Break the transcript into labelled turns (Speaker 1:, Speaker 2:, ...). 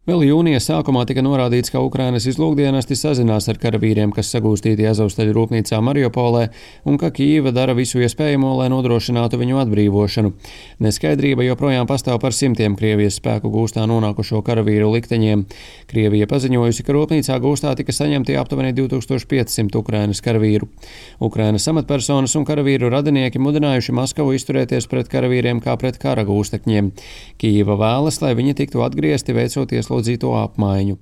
Speaker 1: Vēl jūnija sākumā tika norādīts, ka Ukrainas izlūkdienesti sazinās ar karavīriem, kas sagūstīti Azovstaļu rūpnīcā Mariupolē, un ka Kijeva dara visu iespējamo, lai nodrošinātu viņu atbrīvošanu. Neskaidrība joprojām pastāv par simtiem Krievijas spēku gūstā nonākušo karavīru likteņiem. Krievija paziņojusi, ka rūpnīcā gūstā tika saņemti aptuveni 2500 Ukrainas karavīru. Ukrainas amatpersonas un karavīru radinieki mudinājuši Maskavu izturēties pret karavīriem kā pret kara gūstekņiem. Kijeva vēlas, lai viņi tiktu atgriezti veicot ieslodzīto apmaiņu.